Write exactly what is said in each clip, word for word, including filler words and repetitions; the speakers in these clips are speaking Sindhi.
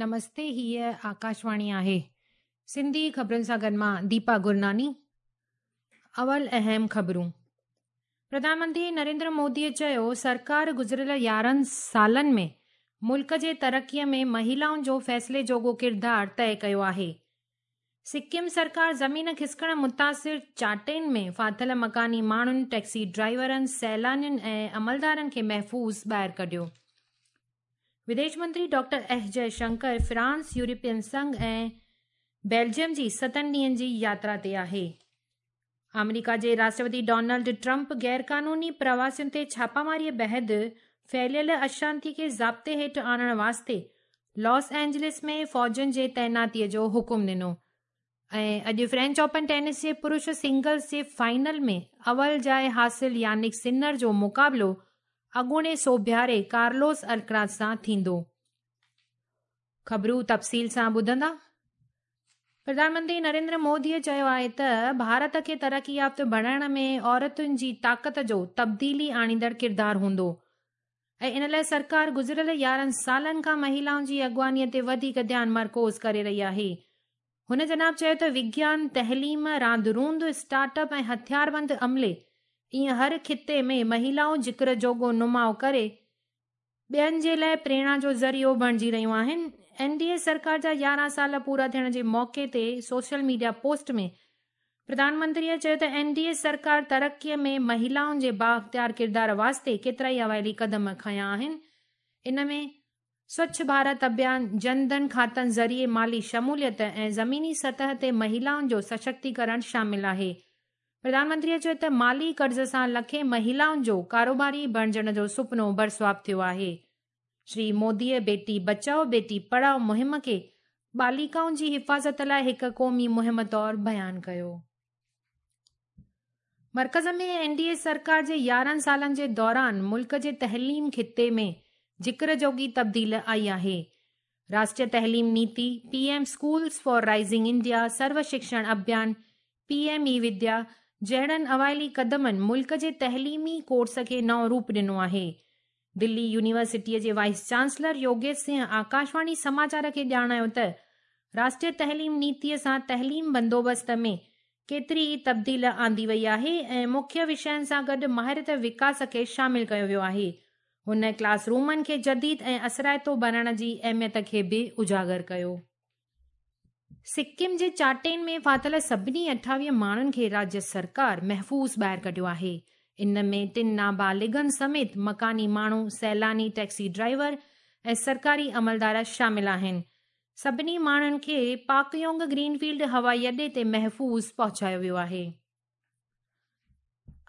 نمستي، هيءَ آڪاشواڻي آهي. سنڌي خبرن سان گڏ مان ديپا گرناني. اول اهم خبرون. پرڌان منتري نريندر موديءَ چيو، سرڪار گذريل يارهن سالن ۾ ملڪ جي ترقيءَ ۾ مهلائن جو فيصلي جوڳو ڪردار طئي ڪيو آهي. سڪم سرڪار زمين کسڪڻ متاثر چاٽين ۾ ڦاٿل مڪاني ماڻهن، ٽيڪسي ڊرائيورن، سيلانين ۽ عملدارن کي محفوظ ٻاهر ڪڍيو. وديش منتري ڊاڪٽر ايس جئي Shankar France, European Singh ۽ Belgium جي ستن ڏينهن جي ياترا تي آهي. آمريڪا جي راشٽرپتي ڊونلڊ ٽرمپ غيرقانوني پرواسين تي ڇاپاماريءَ بعد ڦهليل اشانتي کي ضابطي هيٺ آڻڻ واسطي لاس اينجلس ۾ فوجن جي تعيناتيءَ جو حڪم ڏنو. ۽ اڄ فرينچ اوپن ٽينس جي پرش سنگلز جي فائنل ۾ اول جاءِ حاصل يانڪ سنر جو مقابلو اڳوڻي سوڀياري ڪارلوس الڪراز سان ٿيندو. خبرون تفصيل سان ٻڌندا. پرڌان منتري نريندر موديءَ چيو آهي ته ڀارت کي ترقي يافته بڻائڻ ۾ عورتن جي طاقت جو تبديلي آڻيندڙ ڪردار هوندو ۽ ان لاءِ سرڪار گذريل يارهن سالن کان مهلائن جي اڳواڻيءَ تي وڌيڪ ڌيان مرڪوز ڪري رهي آهي. هن جناب چيو ته وگيان، تعليم، راند روند، اسٽارٽ اپ ۽ هٿياربند عملي ائين هر خطي ۾ مهلائون ذڪر جوڳو نماءُ ڪري ٻين جي لاءِ پريرڻا جو ذريعو بڻجي رهيون آهن. اين ڊي اي سرڪار جا يارهن سال پورا ٿيڻ جي موقعي تي سوشل ميڊيا پوسٽ ۾ پرڌان منتريءَ چيو ته اين ڊي اي سرڪار ترقيءَ ۾ مهلائن جي بااختيار ڪردار واسطي ڪيترائي اوائلي قدم کنيا آهن. ان ۾ سوڇ ڀارت اڀيان، جن ڌن کاتن ذريعي مالي شموليت ۽ زميني سطح تي مهلائن جو سشڪتيڪرڻ شامل آهي. پرڌان منتريءَ چيو ته مالي قرض سان لکين مهلائن جو ڪاروباري بڻجڻ جو سپنو برسواپ ٿيو آهي. شري موديءَ بيٽي بچائو بيٽي پڙهائو مهم کي بالڪائن جي حفاظت لاءِ هڪ قومي مهم طور بيان ڪيو. مرڪز ۾ اين ڊي اي سرڪار جي يارهن سالن جي دوران ملڪ جي تعليم خطي ۾ ذڪر جوڳي تبديل آئي آهي. راشٽريه تعليم نيتي، P M schools for rising India, Sarva Shiksha Abhiyan, P M e Vidya جهڙن اوائلي قدمن ملڪ جي تعليمي ڪورس کي نئون روپ ڏنو آهي. دلي يونيورسٽيءَ جي وائيس چانسلر يوگيش سنگهه آڪاشواڻي سماچار کي ڄاڻايو ته راشٽريه تعليم نيتيءَ سان تعليم بندوبست ۾ ڪيتري ئي تبديل آندي وئي آهي ۽ مکيه وشين سان گڏ مهارت وڪاس کي شامل ڪيو ويو آهي. هن ڪلاس رومن کي جديد ۽ اثرائتو بڻائڻ جي اهميت کي به اجاگر ڪيو. سڪم جي چاٽين ۾ ڦاٿل سڀني اٺاويهه ماڻهن کي راجيه سرڪار محفوظ ٻاهر ڪڍيو آهي. ان ۾ ٽن نابالغن سميت مڪاني ماڻهو، سيلاني، ٽيڪسي ڊرائيور ۽ سرڪاري عملدار شامل آهن. سڀني ماڻهن کي پاڪيونگ گرين فيلڊ هوائي اڏي تي محفوظ پهچايو ويو آهي.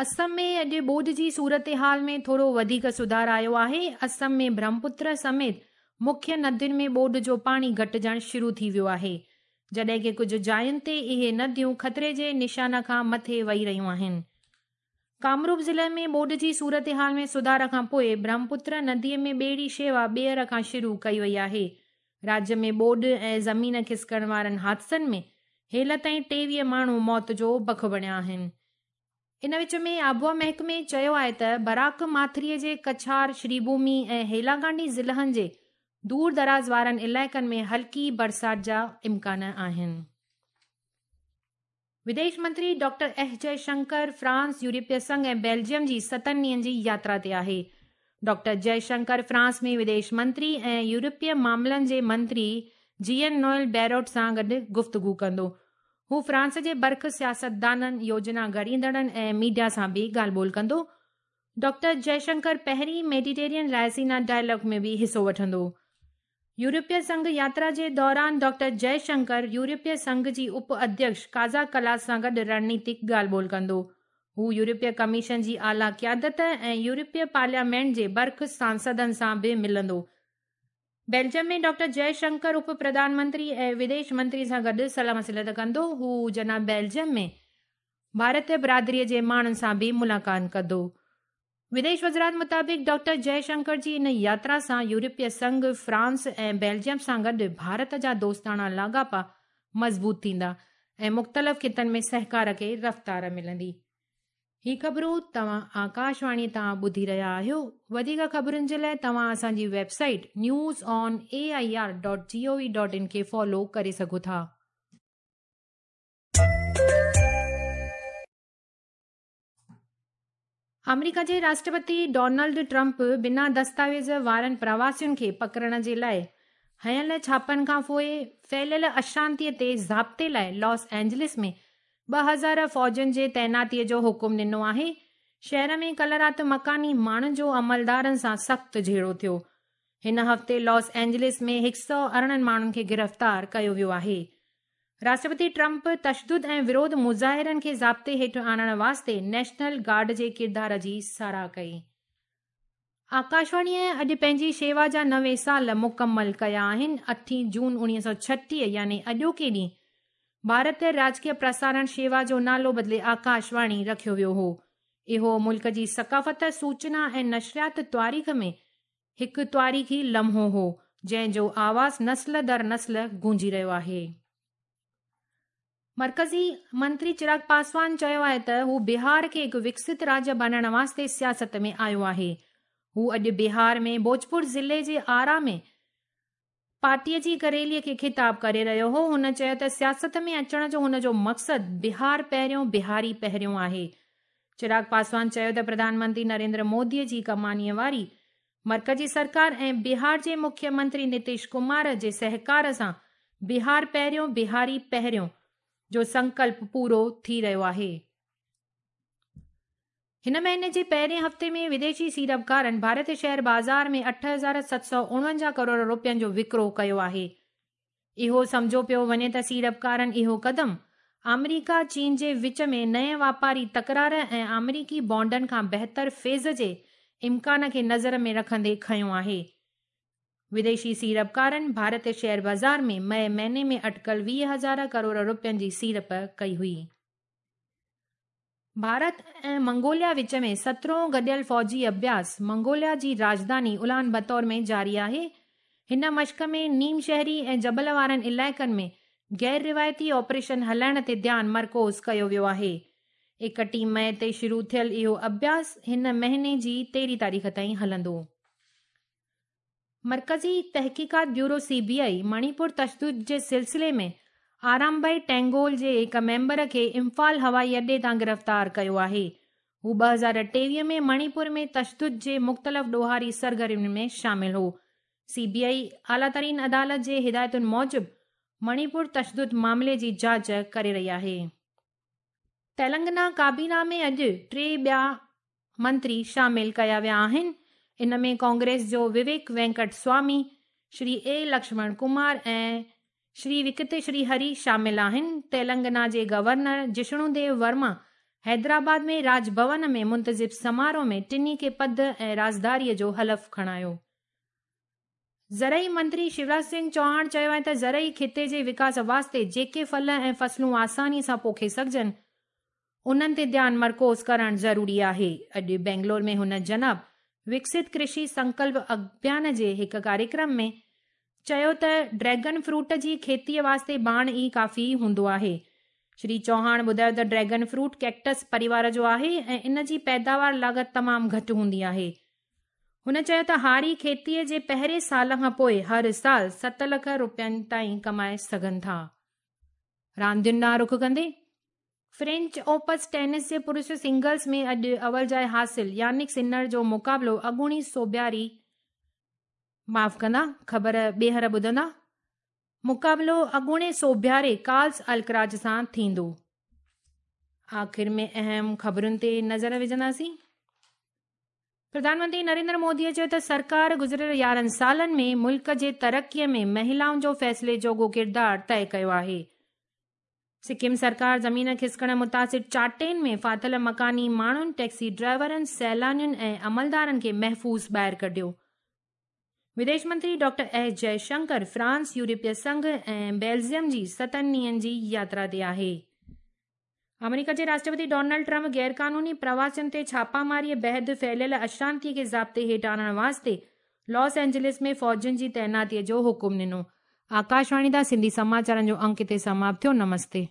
اسم ۾ اڄ ٻوڏ جي صورتحال ۾ ٿورو وڌيڪ سڌار آيو آهي. اسم ۾ برهمپتر سميت مکيه ندين ۾ ٻوڏ جو پاڻي گهٽجڻ شروع ٿي ويو آهي، جڏهن ڪه ڪجهه جاين تي اهي نديون خطري جي نشان کان مٿي وهي رهيون آهن. ڪامروپ ضلعي ۾ ٻوڏ جي صورتحال ۾ سڌار کان پوءِ برهمپتر نديءَ ۾ ٻيڙي شيوا ٻيهر کان شروع ڪئي وئي آهي. راجيه ۾ ٻوڏ ۽ زمين کسڪڻ وارن حادثن ۾ هيل تائين ٽيويهه ماڻهو موت جو بک بڻيا آهن. ان وچ ۾ آبهوا محڪمي چيو آهي ته براڪ ماٿريءَ جي ڪڇار، شريڀومي ۽ هيلاڪانڊي ضلعن جي دور دراز وارن علائقن ۾ هلڪي برسات جا امڪان آهن. وديش منتري ڊاڪٽر ايس جئي شنڪر فرانس، يورپي سنگهه ۽ بيلجيم جي ستن ڏينهن جي ياترا تي آهي. ڊاڪٽر جئي شنڪر فرانس ۾ وديش منتري ۽ يورپي معاملن جي منتري جين نوئل بيروٽ سان گڏ گفتگو ڪندو. هو فرانس جي برک سياستدانن، يوجنا گهڙيندڙن ۽ ميڊيا سان به ڳالهه ٻولهه ڪندو. ڊاڪٽر جئي شنڪر پهرين ميڊيٽيرين رائسينا ڊائلاگ ۾ به حصو وٺندو. يورپي سنگهه ياترا جي دوران ڊاڪٽر جئي شنڪر يورپي سنگهه جي اپ اڌيڪش ڪازا ڪلاس سان گڏ رڻنيتڪ ڳالهه ٻولهه ڪندو. هو يورپي ڪميشن جي اعليٰ قيادت ۽ يورپي پارليامينٽ جي برک سانسدن سان به ملندو. بيلجيم ۾ ڊاڪٽر جئي شنڪر اپ پرڌان منتري ۽ وديش منتري سان گڏ صلاح مصلحت ڪندو. هو جناب بيلجيم ۾ ڀارتيه برادريءَ جي ماڻهن سان به ملاقات ڪندو. وديش وزارت مطابق ڊاڪٽر جئي شنڪر جي ان ياترا سان يورپي سنگهه، فرانس ۽ بيلجيم سان گڏ ڀارت جا دوستاڻا لاڳاپا مضبوط ٿيندا ۽ مختلف خطن ۾ سهڪار کي رفتار ملندي. هي خبرون توهان آڪاشواڻي تان ٻڌي رهيا آهيو. وڌيڪ خبرن جي لاءِ توهان اسان جي website news on A I R dot G O V dot in کي فالو ڪري سگهو ٿا. آمريڪا جي راشٽرپتي ڊونلڊ ٽرمپ بنا دستاويز وارن پرواسين کي پڪڙڻ جي لاءِ هنيل ڇاپن کان پوءِ ڦهليل اشانتيءَ تي ضابطي لاءِ لاس اينجلس ۾ ٻه هزار فوجين جي تعيناتيءَ جو حڪم ڏنو آهي. شهر ۾ ڪالهه رات مڪاني ماڻهن جو عملدارن سان سخت جهيڙو ٿيو. هن هفتي لاس اينجلس ۾ هڪ سؤ ارڙهن ماڻهن کي گرفتار ڪيو ويو آهي. راشٽرپتي ٽرمپ تشدد ۽ وروڌ مظاهرن کي ضابطي هيٺ آڻڻ واسطي نيشنل گارڊ جي ڪردار جي ساراهه ڪئي. آڪاشواڻيءَ اڄ پنهنجي شيوا جا نوي سال مڪمل ڪيا آهن. اٺين جون اڻويهه سؤ ڇٽيهه يعني اڄوڪي ڏينهن ڀارتيه راجڪيه پرسارڻ شيوا جو نالو بدلي آڪاشواڻي رکيو ويو هو. اهو ملڪ جي ثقافت، سوچنا ۽ نشريات تاريخ ۾ هڪ تاريخي لمحو هو، جنهن جو آواز نسل در نسل گونجي رهيو آهي. مرڪزي منتري چراغ پاسوان چيو آهي ته هو بهار کي هڪ وڪست راجيه بڻائڻ واسطي سياست ۾ آيو آهي. هو اڄ بهار ۾ ڀوجپور ضلعي جي آرا ۾ پارٽيءَ جي هڪ ريليءَ کي خطاب ڪري رهيو هو. هن چيو ته سياست ۾ اچڻ جو هن جو مقصد بهار پهريون بهاري پهريون آهي. چراغ پاسوان چيو ته پرڌان منتري نريندر موديءَ جي ڪمانيءَ واري مرڪزي سرڪار ۽ بهار جي مکيه منتري نتيش ڪمار جي سهڪار سان بهار پهريون بهاري پهريون جو سنڪلپ پورو ٿي رهيو آهي. هن مهيني جي پهرين هفتي ۾ وديشي سيڙپڪارن ڀارتي شيئر بازار ۾ اٺ هزار ست سؤ اڻونجاهه ڪروڙ رپين جو وڪرو ڪيو آهي. اهو سمجهيو پيو وڃي ته سيڙپڪارن اهو قدم آمريڪا چين جي وچ ۾ نئين واپاري تڪرار ۽ آمريڪي بانڊن کان بهتر فيض جي امڪان کي نظر ۾ رکندي کنيو آهي. وديشي سيڙپڪارن ڀارتي شيئر بازار ۾ مئي مهيني ۾ اٽڪل ويهه هزار ڪروڙ رپين جي سيڙپ ڪئي هئي. ڀارت ۽ منگوليا وچ ۾ سترهون گڏيل فوجي اڀياس منگوليا جي راڄڌاني الان بتور ۾ جاري آهي. هن مشق ۾ نيم شهري ۽ جبل وارن علائقن ۾ غير روايتي آپريشن هلائڻ تي ڌيان مرڪوز ڪيو ويو آهي. ايڪٽيهه مئي تي شروع ٿيل اهو اڀياس هن مهيني جي تيرهين تاريخ تائين هلندو. مرڪزي تحقيقات bureau C B I Manipur تشدد جي سلسلي ۾ آرامبائي ٽينگول جي هڪ ميمبر کي امفال هوائي اڏي تان گرفتار ڪيو آهي. هو ٻه هزار ٽيويهه ۾ مڻيپور ۾ تشدد جي مختلف ڏوهاري سرگرمين ۾ شامل هو. سي بي آئي اعليٰ ترين عدالت جي هدايتن موجب مڻيپور تشدد معاملي جي جاچ ڪري رهي آهي. تيلنگانا ڪابينا ۾ اڄ ٽي ٻيا منتري شامل ڪيا ويا آهن. ان ۾ ڪانگريس جو وويڪ وينڪٽ سوامي، شري اي لڪشمڻ ڪمار ۽ شري وڪت شري هري شامل آهن. تيلنگانا جي گورنر جشنو ديو ورما حيدرآباد ۾ راج ڀون ۾ منتظم سماروهه ۾ ٽنهي کي پد ۽ رازداريءَ جو حلف کڻايو. زرعي منتري شيوراج سنگهه چوهاڻ چيو آهي ته زرعي خطي جي وڪاس واسطي جيڪي ڦل ۽ فصلون آساني سان پوکي سگهجن انهن تي ڌيان مرڪوز ڪرڻ ضروري آهي. اڄ بينگلور ۾ هن جناب وڪست ڪرشي سنڪلپ اڀيان جي هڪ ڪاريڪرم ۾ چيو ته ڊريگن فروٽ جي کيتيءَ واسطي ڀاڻ ئي ڪافي هوندو آهي. شري چوهاڻ ٻڌايو ته ڊريگن فروٽ ڪيڪٽس پريوار جو آهي ۽ ان جي پيداوار لاڳت تمام گهٽ هوندي آهي. هن چيو ته هاري کيتيءَ جي پهرين سال کان پوءِ هر سال ست لک رپين تائين ڪمائي سگهن ٿا. راندين ڏانهن رخ ڪندي فرينچ اوپن ٽينس جي پرش سنگلز ۾ اڄ اول جاءِ حاصل يانڪ سنر جو مقابلو اڳوڻي سوڀياري معاف ڪندا خبر ٻيهر ٻڌندا مقابلو اڳوڻي سوڀياري ڪارلس الڪراج سان ٿيندو. آخر ۾ اهم خبرن تي نظر وجهنداسين. پرڌان منتري نريندر موديءَ چيو ته سرڪار گذريل يارهن سالن ۾ ملڪ جي ترقيءَ ۾ مهلائن جو فيصلي جوڳو ڪردار طئي ڪيو آهي. سڪم سرڪار زمين کسڪڻ متاثر چاٽين ۾ ڦاٿل مڪاني ماڻهن، ٽيڪسي ڊرائيورن، سيلانين ۽ عملدارن کي محفوظ ٻاهر ڪڍيو. وديش منتري ڊاڪٽر ايس جئشنڪر فرانس، يورپي سنگهه ۽ بيلجيم جي ستن ڏينهن جي ياترا تي آهي. آمريڪا جي راشٽرپتي ڊونلڊ ٽرمپ غيرقانوني پرواسين تي ڇاپاماريءَ بعد ڦهليل اشانتيءَ کي ضابطي هيٺ آڻڻ واسطي لاس اينجلس ۾ فوجين جي تعيناتيءَ جو حڪم ڏنو. آڪاشواڻي تان سنڌي سماچارن جو انڪ هتي سماپت ٿيو. نمستي.